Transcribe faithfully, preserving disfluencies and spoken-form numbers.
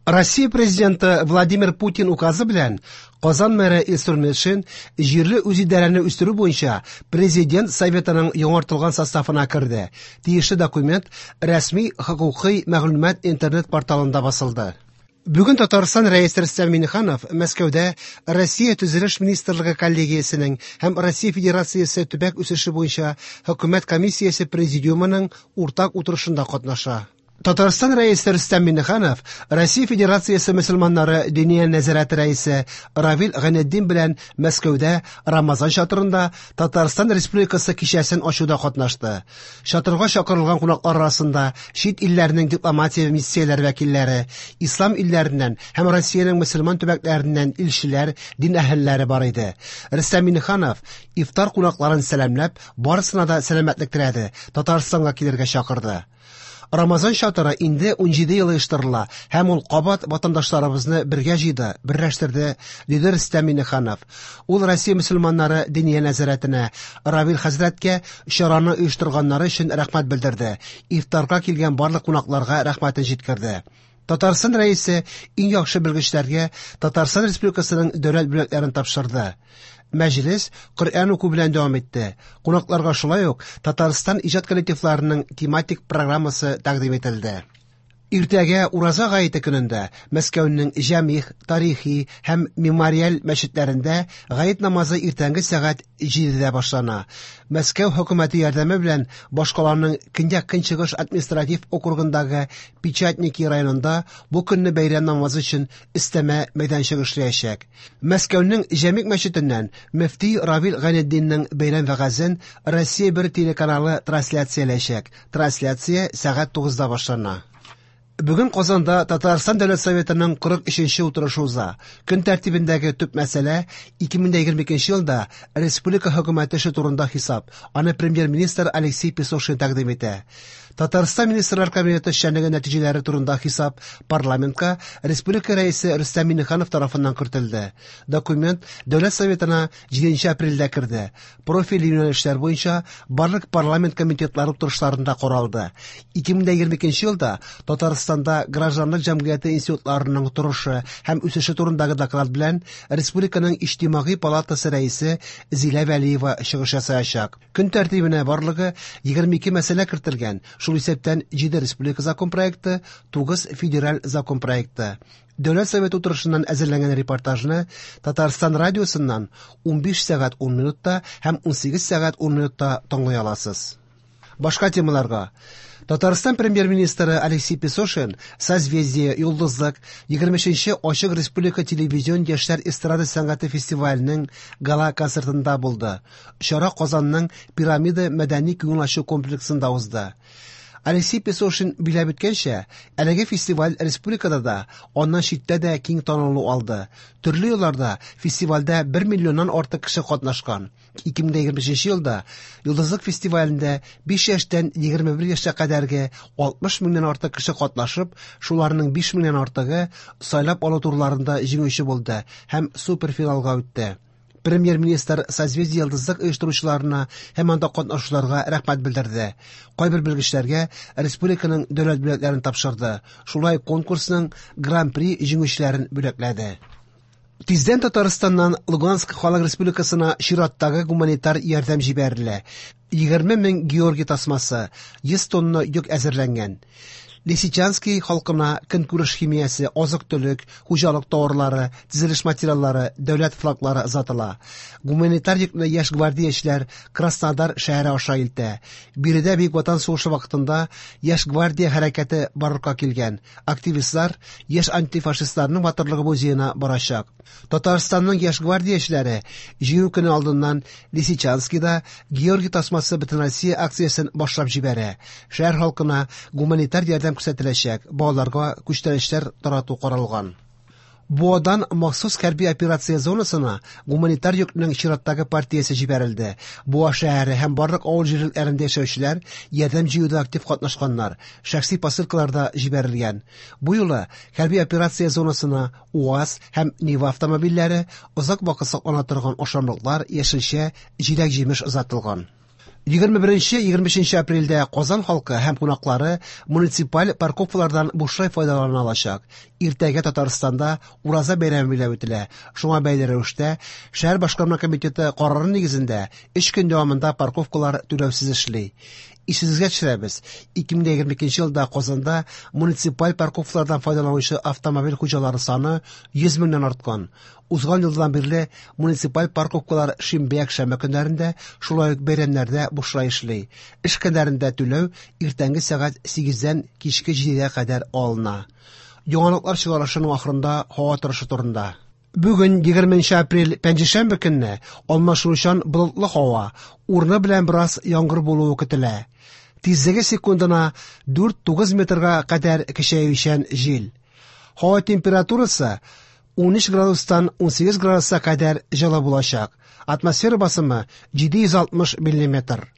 Россия президенты Владимир Путин указы белән Казан мэры Илсур Метшин җирле үзидарәне үстерү буенча Президент Советының яңартылган составына керде. Тиешле документ рәсми хокукый мәгълүмат интернет-порталында басылды. Бүген Татарстан Рәисе Рөстәм Миңнеханов Мәскәүдә Россия Төзелеш министрлыгы коллегиясенең һәм Россия Федерациясе төбәк үсеше буенча хөкүмәт комиссиясе президиумының уртак утырышында катнаша. Татарстан Рәисе Рөстәм Миңнеханов Россия Федерациясе мөселманнары Диния нәзарәте рәисе Равил Гайнетдин белән Мәскәүдә Рамазан чатырында Татарстан Республикасы кичәсен ачуда катнашты. Чатырга чакырылган кунаклар арасында чит илләрнең дипломатия миссияләре вәкилләре, ислам илләреннән һәм Россиянең мөселман төбәкләреннән илчеләр, дин әһелләре бар иде. Рөстәм Миңнеханов ифтар кунакларын сәламләп, барысына да сәламәтлек теләде, Татарстанга килергә чакырды. Рамазан чатыры инде унҗиде ел оештырыла һәм ул кабат ватандашларыбызны бергә җыйды, берләштерде, диде Рөстәм Миңнеханов. Ул Россия мөселманнары Диния нәзарәтенә, Равил хәзрәткә чараны оештырганнары өчен рәхмәт белдерде. Ифтарга килгән барлык кунакларга рәхмәтен җиткерде. Татарстан Рәисе иң яхшы белгечләргә Татарстан Республикасының дәүләт бүләкләрен тапшырды. Мәҗлес Коръән уку белән дәвам итте. Кунакларга шулай ук Татарстан иҗат коллективларының тематик программасы тәкъдим ителде. Иртәгә Ураза гаете көнендә Мәскәүнең Җәмигъ, тарихи һәм мемориаль мәчетләрендә гает намазы иртәнге сәгать җидедә башлана. Мәскәү хөкүмәте ярдәме белән башкаланың Көньяк-Көнчыгыш административ округындагы Печатники районында бу көнне бәйрәм намазы өчен өстәмә мәйданчык эшләячәк. Мәскәүнең Җәмигъ мәчетеннән мөфти Равил Гайнетдиннең бәйрәм вәгазен Россия бер телеканалы трансляцияләячәк. Трансляция сәгать тугызда башлана. Бүген Казанда Татарстан Дәүләт Советының кырык өченче утырышы уза. Көн тәртибендәге төп мәсьәлә ике мең егерме икенче елда республика хөкүмәте эше турында хисап. Аны премьер-министр Алексей Песошин тәкъдим итә. Татарстан Министрлар Кабинеты эшчәнлеге нәтиҗәләре турында хисап парламентка республика рәисе Рөстәм Миңнеханов тарафыннан кертелде. Документ Дәүләт Советына җиденче апрельдә керде. Профиль юнәлешләр буенча барлык парламент комитетлары утырышларында каралды. Ике мең егерме икенче елда Татарстанда гражданлык җәмгыяте институтларының торышы һәм үсеше турындагы доклад белән Республиканың Иҗтимагый палатасы рәисе Зилә Вәлиева чыгыш ясаячак. Көн тәртибенә барлыгы егерме ике мәсьәлә кертелгән, шул исәптән җиде республика закон проекты, тугыз федераль закон проекты. Дәүләт Советы утырышыннан әзерләнгән репортажны Татарстан радиосыннан унбиш сәгать ун минутта һәм унсигез сәгать ун минутта тыңлый аласыз. Башка темаларга. Татарстан премьер-министры Алексей Песошин Созвездие, Йолдызлык, егерме өченче Ачык Республика телевизион яшьләр эстрада сәнгате фестиваленең гала концертында булды. Чара Казанның Пирамида мәдәни күңел ачу комплексында узды. Алексей Песошин биләп үткәнчә, әлеге фестиваль республикада да, аннан читтә дә киң танылу алды. Төрле елларда фестивальдә бер миллионнан артык кеше катнашкан. Ике мең егерме өченче елда Йолдызлык фестивалендә биш яшьтән егерме бер яшькә кадәрге алтмыш меңнән артык кеше катнашып, шуларның биш меңнән артыгы сайлап алу турларында җиңүче булды һәм суперфиналга үтте. Премьер-министр Созвездие Йолдызлык оештыручыларына һәм анда катнашучыларга рәхмәт белдерде. Кайбер белгечләргә республиканың дәүләт бүләкләрен тапшырды. Шулай конкурсның Гран-при җиңүчеләрен бүләкләде. Тиздән Татарстаннан Луганск Халык Республикасына чираттагы гуманитар ярдәм җибәрелә. Егерме мең Георгий тасмасы, йөз тонна йөк әзерләнгән. Лисичанский халкына көнкүреш химиясе, азык-төлек, хуҗалык товарлары, төзелеш материаллары, дәүләт флаглары озатыла. Гуманитар йөкне яшь гвардиячеләр Краснодар шәһәре аша илтә. Биредә Бөек Ватан сугышы вакытында яшь гвардия хәрәкәте барлыкка килгән. Активистлар яшь антифашистларның батырлыгы музеена барачак. Татарстанның яшь гвардиячеләре Җиңү көне алдыннан Лисичанскийда Георгий тасмасы Бөтенроссия акциясен башлап җибәрә. Шәһәр халкына гуманитар ярдәм күрсәтеләчәк, балаларга күчтәнәчләр тарату каралган. Буадан махсус хәрби операция зонасына гуманитар йөкнең чираттагы партиясе җибәрелде. Буа шәһәре һәм барлык авыл җирлекләрендә яшәүчеләр ярдәм җыюда актив катнашканнар, шәхси посылкалар да җибәрелгән. Бу юлы хәрби операция зонасына УАЗ һәм Нива автомобильләре, озак вакыт саклана торган ашамлыклар, яшелчә, җиләк-җимеш озатылган. Егерме беренче, егерме өченче апрельдә Казан халкы һәм кунаклары муниципаль парковкалардан бушлай файдалана алачак. Иртәгә Татарстанда Ураза бәйрәме билгеләп үтелә. Шуңа бәйле рәвештә шәһәр башкарма комитеты карары нигезендә өч көн дәвамында парковкалар түләүсез эшли. Исегезгә төшерәбез, ике мең егерме икенче елда Казанда муниципаль парковкалардан файдаланучы автомобиль хуҗалары саны йөз меңнән арткан. Узган елдан бирле муниципаль парковкалар шимбә, якшәмбе көннәрендә, шулай ук бәйрәмнәрдә бушлай эшли. Эш көннәрендә түләү иртәнге сәгать сигездән кичке җидегә кадәр алына. Яңалыклар чыгарылышының ахырында һава торышы турында. Бүген егерменче апрель пәнҗешәмбе көнне алмашынучан болытлы һава, урыны белән бераз яңгыр булуы көтелә. Тизлеге секундына дүрт тугыз метрга кадәр көчәючән җил. Һава температурасы ун өч градустан ун сигез градуска кадәр җылы булачак. Атмосфера басымы җиде йөз алтмыш миллиметр.